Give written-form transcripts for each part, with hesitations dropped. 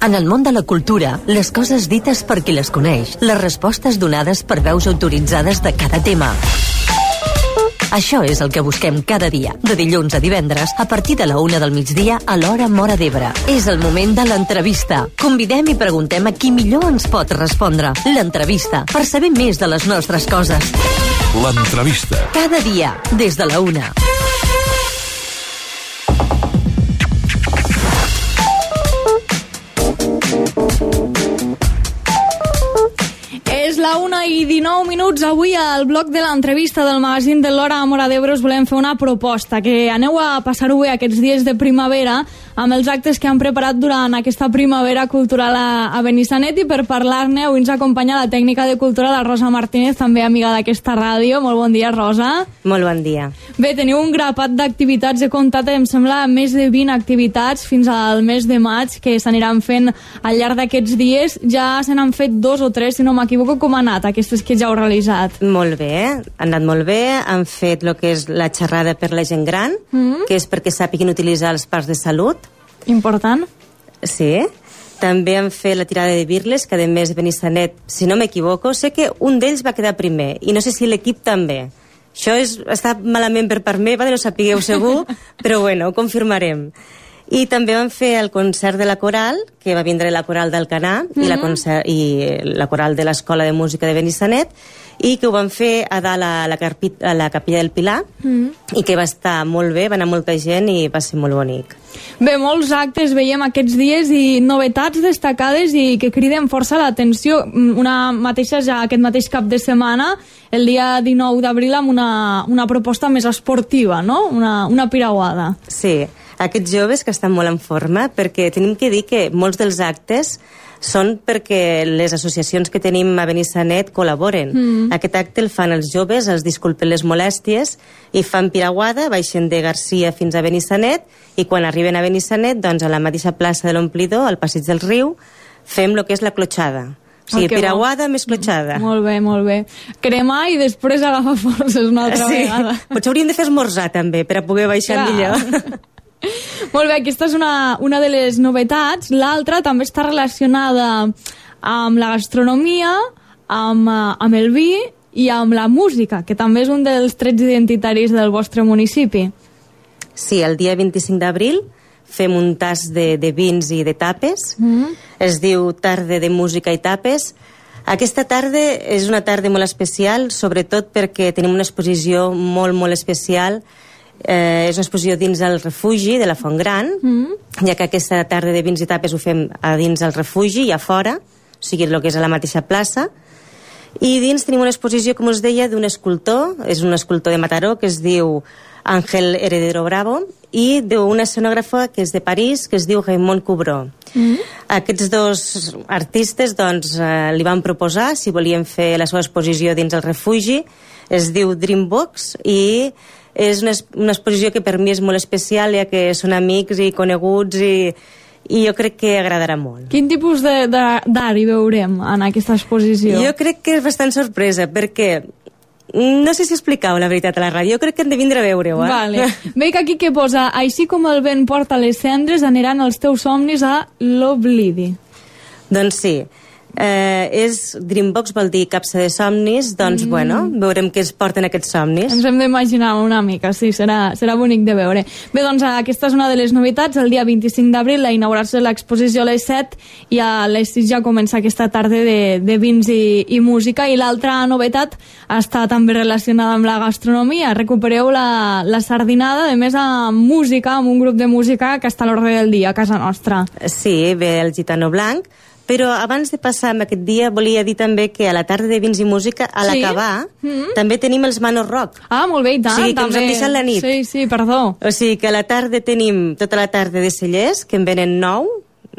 En el món de la cultura, les coses dites per qui les coneix, les respostes donades per veus autoritzades de cada tema. Això és el que busquem cada dia, de dilluns a divendres, a partir de la 1 del migdia a l'hora Móra d'Ebre. És el moment de l'entrevista. Convidem i preguntem a qui millor ens pot respondre. L'entrevista, per saber més de les nostres coses. L'entrevista. Cada dia, des de la 1. És la 1:19. Avui al bloc de l'entrevista del magazín de l'Hora a Móra d'Ebre us volem fer una proposta, que aneu a passar-ho bé aquests dies de primavera amb els actes que han preparat durant aquesta primavera cultural a Benissanet, i per parlar-ne avui ens acompanya la tècnica de cultura, la Rosa Martínez, també amiga d'aquesta ràdio. Molt bon dia, Rosa. Molt bon dia. Bé, teniu un grapat d'activitats, he comptat, em sembla, més de 20 activitats fins al mes de maig que s'aniran fent al llarg d'aquests dies. Ja se n'han fet 2 o 3, si no m'equivoco. Com han anat aquestes que ja heu realitzat? Molt bé, han anat molt bé. Han fet el que és la xerrada per la gent gran, que és perquè sàpiguin utilitzar els parcs de salut. Important. Sí. També han fet la tirada de birles, que a més de Benissanet, si no m'equivoco, sé que un d'ells va quedar primer, i no sé si l'equip també. Això està malament per part meva, no sapigueu segur, però bueno, ho confirmarem. I també van fer el concert de la coral, que va vindre la coral d'Alcanar i la coral de l'Escola de Música de Benissanet, i que ho van fer a dalt a la Capella del Pilar, i que va estar molt bé, va anar molta gent i va ser molt bonic. Bé, molts actes veiem aquests dies i novetats destacades i que criden força l'atenció. Una mateixa ja aquest mateix cap de setmana, el dia 19 d'abril, amb una proposta més esportiva, no? Una piragüada. Sí, aquests joves que estan molt en forma, perquè tenim que dir que molts dels actes són perquè les associacions que tenim a Benissanet col·laboren. Aquest acte el fan els joves, els disculpen les molèsties, i fan piragüada, baixen de Garcia fins a Benissanet, i quan arriben a Benissanet, doncs a la mateixa plaça de l'Omplidor, al passeig del riu, fem el que és la clotxada. O sigui, piragüada més clotxada. Molt bé, molt bé. Cremar i després agafar forces una altra vegada. Potser hauríem de fer esmorzar també, per a poder baixar millor. Molt bé, aquesta és una de les novetats. L'altra també està relacionada amb la gastronomia, amb el vi i amb la música, que també és un dels trets identitaris del vostre municipi. Sí, el dia 25 d'abril fem un tas de vins i de tapes. Es diu Tarda de Música i Tapes. Aquesta tarda és una tarda molt especial, sobretot perquè tenim una exposició molt, molt especial. És una exposició dins el refugi de la Font Gran, ja que aquesta tarda de vins i tapes ho fem a dins el refugi i a fora, o sigui, el que és a la mateixa plaça. I dins tenim una exposició, com us deia, d'un escultor, és un escultor de Mataró, que es diu Ángel Heredero Bravo, i d'una escenògrafa que és de París, que es diu Raymond Coubrot. Aquests dos artistes doncs, li van proposar si volien fer la seva exposició dins el refugi. Es diu Dreambox, i és una exposició que per mi és molt especial, ja que són amics i coneguts, i jo crec que agradarà molt. Quin tipus d'art hi veurem en aquesta exposició? Jo crec que és bastant sorpresa, perquè no sé si explicar-ho, la veritat, a la ràdio. Jo crec que hem de vindre a veure-ho. Vale. Veig aquí que posa: així com el vent porta les cendres, aniran els teus somnis a l'oblidi. Doncs sí. Dreambox vol dir capsa de somnis, doncs bueno, veurem què es porten aquests somnis. Ens hem d'imaginar una mica, sí, serà bonic de veure. Bé, doncs aquesta és una de les novetats. El dia 25 d'abril a inaugurar-se l'exposició a les 7 i a les 6 ja comença aquesta tarda de vins i música. I l'altra novetat està també relacionada amb la gastronomia. Recupereu la sardinada, a més amb música, amb un grup de música que està a l'ordre del dia a casa nostra. Sí, ve el Gitano Blanc. Però abans de passar amb aquest dia volia dir també que a la tarda de vins i música, a l'acabar, també tenim els Manos Rock. Ah, molt bé, i tant. O sigui, que ens han deixat la nit. Sí, perdó. O sigui, que a la tarda tenim tota la tarda de cellers, que en venen 9,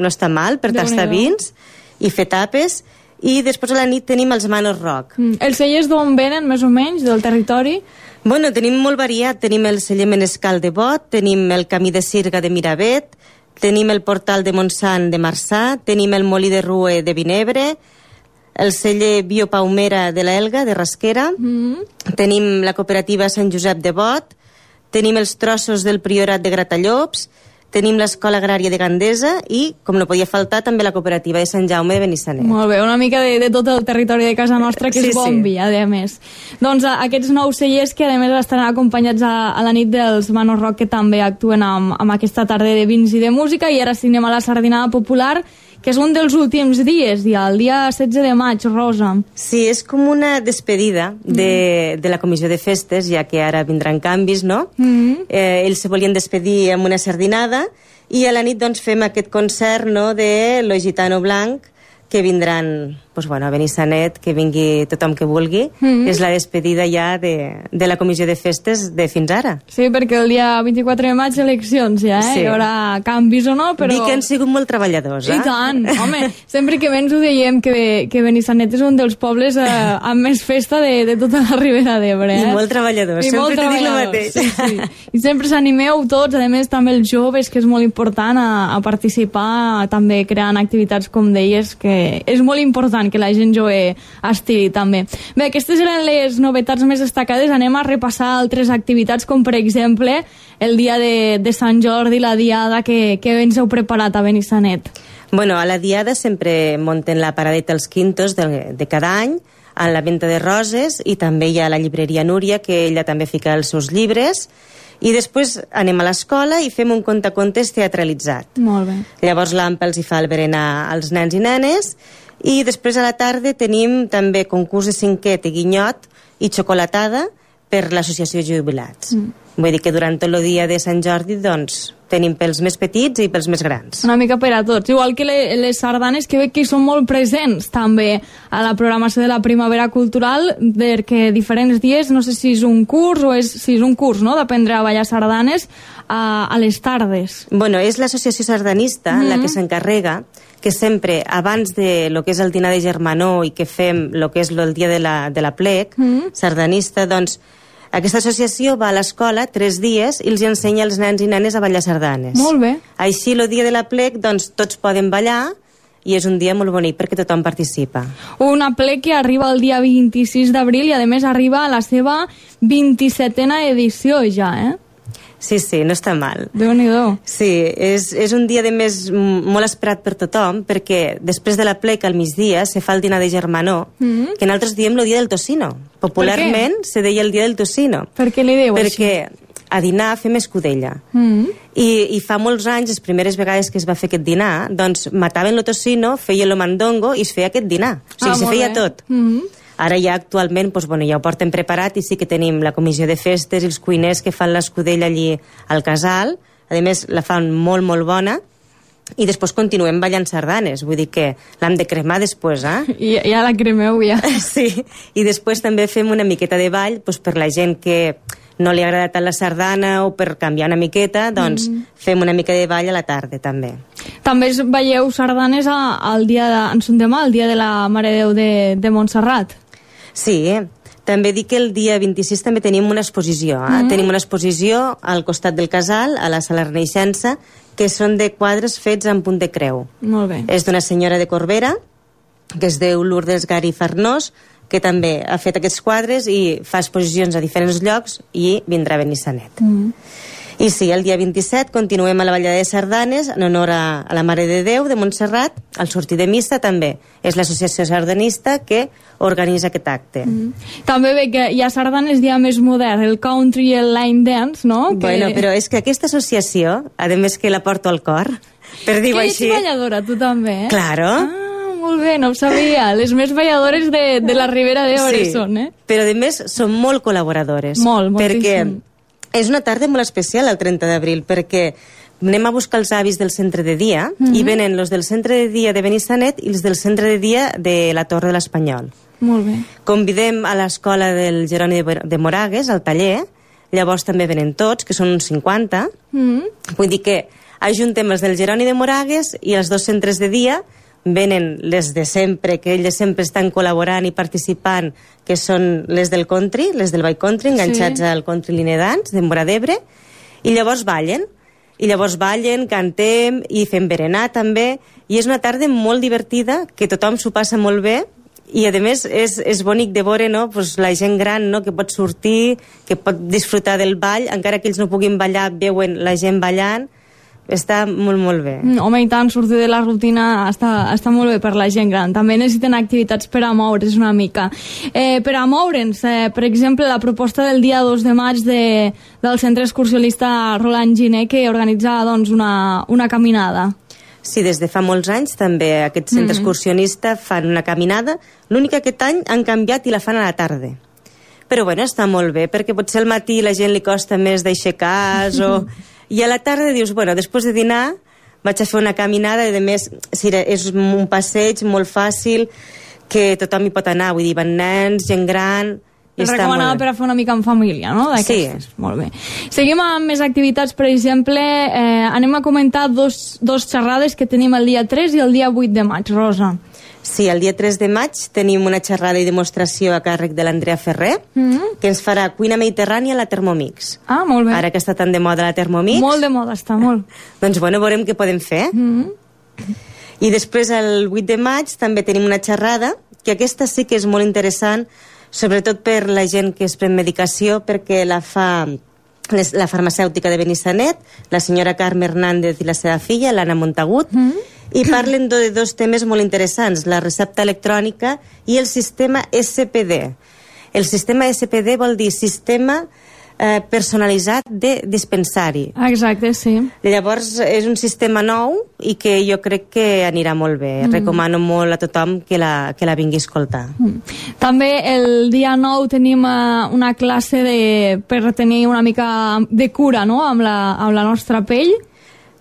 no està mal, per tastar vins i fer tapes, i després a la nit tenim els Manos Rock. Els cellers d'on venen, més o menys, del territori? Bueno, tenim molt variat. Tenim el celler Menescal de Bot, tenim el Camí de Sirga de Miravet, tenim el Portal de Montsant de Marçà, tenim el Molí de Rue de Vinebre, el celler Biopaumera de l'Elga, de Rasquera, tenim la cooperativa Sant Josep de Bot, tenim els trossos del Priorat de Gratallops, tenim l'Escola Agrària de Gandesa i, com no podia faltar, també la cooperativa de Sant Jaume de Benissanet. Molt bé, una mica de tot el territori de casa nostra, que és bombi, a més. Doncs aquests 9 cellers que, a més, estaran acompanyats a la nit dels Mano Rock, que també actuen amb aquesta tarda de vins i de música, i ara anem a la Sardinada Popular, que és un dels últims dies, el dia 16 de maig, Rosa. Sí, és com una despedida de la comissió de festes, ja que ara vindran canvis, no? Ells se volien despedir amb una sardinada i a la nit doncs fem aquest concert, no?, de Lo Gitano Blanc, que vindran a Benissanet, que vingui tothom que vulgui. És la despedida ja de la comissió de festes de fins ara. Sí, perquè el dia 24 de maig eleccions ja, Sí. Hi haurà canvis o no, però... Dic que han sigut molt treballadors, I tant, home, sempre que vens ho dèiem que Benissanet és un dels pobles amb més festa de tota la Ribera d'Ebre. I molt treballadors, sempre t'he dit el mateix. Sí. I sempre s'animeu tots, a més també els joves, que és molt important a participar, també creant activitats, com deies, que és molt important que la gent jove estigui també. Bé, aquestes eren les novetats més destacades. Anem a repassar altres activitats, com per exemple el dia de Sant Jordi, la diada que ens heu preparat a Benissanet. Bueno, a la diada sempre munten la paradeta als quintos de cada any, a la venda de roses, i també hi ha la llibreria Núria, que ella també fica els seus llibres, i després anem a l'escola i fem un contacontes teatralitzat. Molt bé. Llavors l'AMPA els hi fa el berenar als nens i nenes, i després a la tarda tenim també concurs de cinquet i guinyot i xocolatada per l'associació de jubilats. Vull dir que durant tot el dia de Sant Jordi doncs tenim pels més petits i pels més grans. Una mica per a tots. Igual que les sardanes, que veig que hi són molt presents també a la programació de la Primavera Cultural, perquè diferents dies, no sé si és un curs o si és un curs, no?, d'aprendre a ballar sardanes a les tardes. Bueno, és l'associació sardanista la que s'encarrega que sempre, abans de lo que és el dinar de germanor i que fem lo que és el dia de la plec sardanista, doncs aquesta associació va a l'escola 3 dies i els ensenya als nens i nenes a ballar sardanes. Molt bé. Així, el dia de la plec, doncs, tots poden ballar i és un dia molt bonic perquè tothom participa. Una plec que arriba el dia 26 d'abril i, a més, arriba a la seva 27a edició ja, Sí, no està mal. Déu-n'hi-do. Sí, és un dia, de més, molt esperat per tothom, perquè després de la plec, al migdia, se fa el dinar de germanor, que nosaltres diem el dia del tocino. Popularment se deia el dia del tocino. Per què li diu així? Perquè a dinar fem escudella. I fa molts anys, les primeres vegades que es va fer aquest dinar, doncs mataven el tocino, feien el mandongo i es feia aquest dinar. O sigui, se feia tot. Ara ja actualment ja ho porten preparat i sí que tenim la comissió de festes i els cuiners que fan l'escudella allí al casal. A més, la fan molt, molt bona. I després continuem ballant sardanes. Vull dir que l'hem de cremar després, Ja la cremeu, ja. Sí. I després també fem una miqueta de ball per la gent que no li agrada tant la sardana o per canviar una miqueta, doncs fem una mica de ball a la tarda, també. També veieu sardanes el dia el dia de la Mare de Déu de Montserrat. Sí, també dic que el dia 26 també tenim una exposició. Tenim una exposició al costat del casal, a la Sala Renaixença, que són de quadres fets en punt de creu. Molt bé. És d'una senyora de Corbera, que es diu Lourdes Gari Farnós, que també ha fet aquests quadres i fa exposicions a diferents llocs i vindrà a Benissanet. I sí, el dia 27 continuem a la ballada de sardanes en honor a la Mare de Déu de Montserrat. Al sortir de missa també és l'associació sardanista que organitza aquest acte. També ve que hi ha sardanes ja més modern, el country i el line dance, no? Bueno, però és que aquesta associació, a més que la porto al cor, per dir-ho així... Que ets balladora, tu també, Claro. Molt bé, no ho sabia. Les més balladores de la Ribera d'Ebre són, però a més són molt col·laboradores. Moltíssim. Perquè és una tarda molt especial el 30 d'abril, perquè anem a buscar els avis del centre de dia i venen els del centre de dia de Benissanet i els del centre de dia de la Torre de l'Espanyol. Molt bé. Convidem a l'escola del Jeroni de Moragues, al taller, llavors també venen tots, que són uns 50. Vull dir que ajuntem els del Jeroni de Moragues i els 2 centres de dia venen les de sempre, que elles sempre estan col·laborant i participant, que són les del country, les del ball country, enganxats al country line dance de Móra d'Ebre, i llavors ballen. I llavors ballen, cantem i fem berenar també, i és una tarda molt divertida, que tothom s'ho passa molt bé, i a més és bonic de veure, no? Pues la gent gran, no? Que pot sortir, que pot disfrutar del ball, encara que ells no puguin ballar, veuen la gent ballant. està molt, molt bé. Home, i tant, sortir de la rutina està molt bé per la gent gran. També necessiten activitats per a moure's una mica. Per a moure'ns, per exemple, la proposta del dia 2 de maig del centre excursionista Roland Giner, que organitza doncs, una caminada. Sí, des de fa molts anys també aquest centre excursionista fan una caminada. L'únic que aquest any han canviat i la fan a la tarda. Però bueno, està molt bé, perquè potser al matí la gent li costa més d'aixecar-se o... I a la tarda dius, bueno, després de dinar vaig a fer una caminada i a més és un passeig molt fàcil que tothom hi pot anar, vull dir, van nens, gent gran... És recomanada per a fer una mica en família, no? Sí. Molt bé. Seguim amb més activitats, per exemple, anem a comentar dos xerrades que tenim el dia 3 i el dia 8 de maig, Rosa. Sí, el dia 3 de maig tenim una xerrada i demostració a càrrec de l'Andrea Ferrer, que ens farà cuina mediterrània a la Thermomix. Ah, molt bé. Ara que està tan de moda la Thermomix. Molt de moda està, molt. Doncs bueno, veurem què podem fer. I després el 8 de maig també tenim una xerrada, que aquesta sí que és molt interessant, sobretot per la gent que es pren medicació, perquè la fa la farmacèutica de Benissanet, la senyora Carme Hernández i la seva filla, l'Anna Montagut, i parlen de dos temes molt interessants, la recepta electrònica i el sistema SPD. El sistema SPD vol dir sistema personalitzat de dispensari. Exacte, sí. Llavors és un sistema nou i que jo crec que anirà molt bé. Recomano molt a tothom que la vingui a escoltar. També el dia 9 tenim una classe per tenir una mica de cura, no?, amb la nostra pell.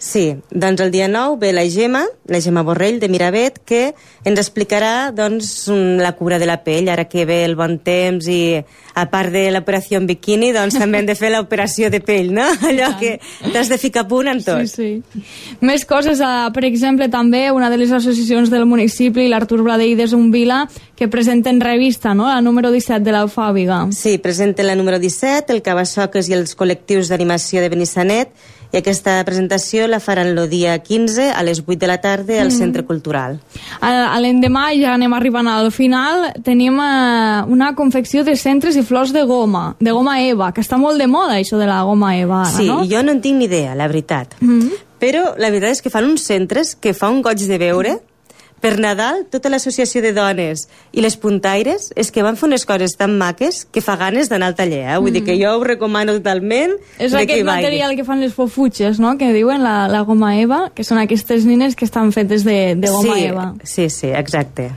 Sí, doncs el dia 9 ve la Gemma Borrell de Miravet, que ens explicarà doncs, la cura de la pell, ara que ve el bon temps i a part de l'operació en biquini, doncs també hem de fer l'operació de pell, no? Allò que t'has de ficar a punt en tot. Sí, sí. Més coses, per exemple, també una de les associacions del municipi, l'Artur Bladell de Zumbila, que presenten revista, no?, la número 17 de l'Alfàbiga. Sí, presenten la número 17, el Cabassoques i els col·lectius d'animació de Benissanet, i aquesta presentació la faran el dia 15 a les 8 de la tarda al Centre Cultural. L'endemà, ja anem arribant al final, tenim una confecció de centres i flors de goma Eva, que està molt de moda, això de la goma Eva, ara, sí, no? Sí, jo no en tinc ni idea, la veritat. Però la veritat és que fan uns centres que fa un goig de veure. Per Nadal, tota l'associació de dones i les puntaires és que van fer unes coses tan maques que fa ganes d'anar al taller, Vull dir que jo ho recomano totalment. És aquest material que fan les fofutxes, no?, que diuen la goma Eva, que són aquestes nines que estan fetes de goma Eva. Sí, exacte.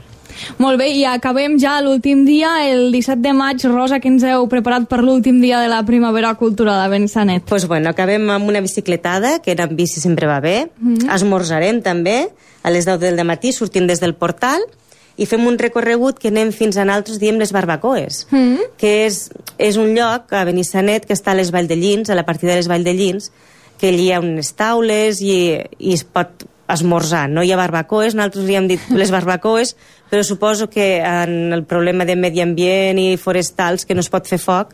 Molt bé, i acabem ja l'últim dia, el 17 de maig. Rosa, que ens heu preparat per l'últim dia de la primavera cultural a Benissanet? Doncs bueno, acabem amb una bicicletada, que anar amb bici sempre va bé. Esmorzarem també a les 10 del matí, sortim des del portal i fem un recorregut que anem fins a nosaltres, diem les Barbacoes, que és un lloc a Benissanet que està a les Valldellins, a la partida de les Valldellins, que allí hi ha unes taules i es pot esmorzar. No hi ha barbacoes, nosaltres hi hem dit les barbacoes, però suposo que en el problema de medi ambient i forestals, que no es pot fer foc,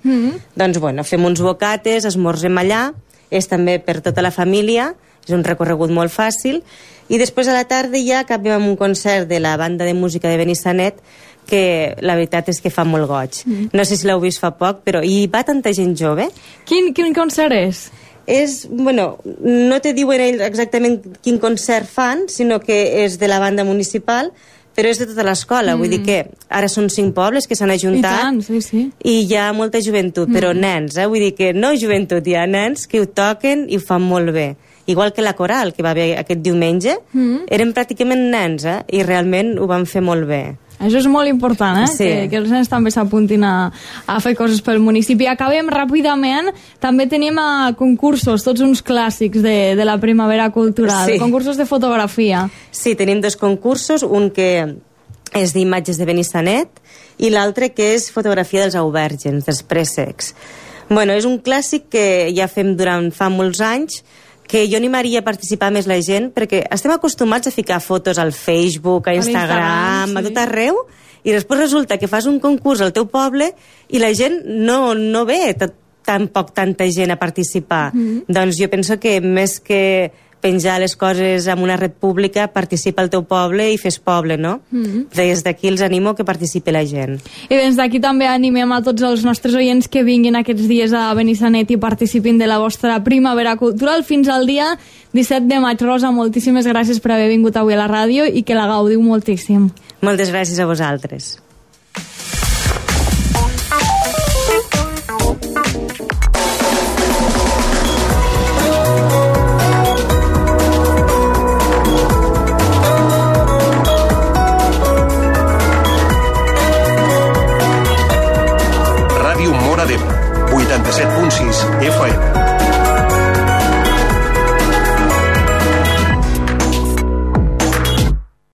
doncs bueno, fem uns bocates, esmorzem allà, és també per tota la família, és un recorregut molt fàcil, i després a la tarda ja acabem amb un concert de la banda de música de Benissanet, que la veritat és que fa molt goig. No sé si l'heu vist fa poc, però hi va tanta gent jove. Quin concert és? Bueno, no te diuen ells exactament quin concert fan, sinó que és de la banda municipal, però és de tota l'escola, vull dir que ara són 5 pobles que s'han ajuntat. I tant, sí. I hi ha molta joventut, però nens, vull dir que no joventut, hi ha nens que ho toquen i ho fan molt bé. Igual que la coral, que va haver aquest diumenge, eren pràcticament nens, i realment ho van fer molt bé. Això és molt important, Sí. que els nens també s'apuntin a fer coses pel municipi. Acabem ràpidament, també tenim concursos, tots uns clàssics de la primavera cultural, concursos de fotografia. Sí, tenim 2 concursos, un que és d'imatges de Benissanet i l'altre que és fotografia dels aubèrgens, dels préssecs. Bueno, és un clàssic que ja fem fa molts anys, que jo animaria a participar més la gent, perquè estem acostumats a ficar fotos al Facebook, a Instagram, a tot arreu, i després resulta que fas un concurs al teu poble i la gent no ve tampoc tanta gent a participar. Doncs jo penso que més que penjar les coses en una red pública, participa al teu poble i fes poble, no? Des d'aquí els animo que participi la gent. I des d'aquí també animem a tots els nostres oients que vinguin aquests dies a Benissanet i participin de la vostra primavera cultural fins al dia 17 de maig. Rosa, moltíssimes gràcies per haver vingut avui a la ràdio i que la gaudiu moltíssim. Moltes gràcies a vosaltres. Ràdio Móra d'Ebre, 87.6 FM.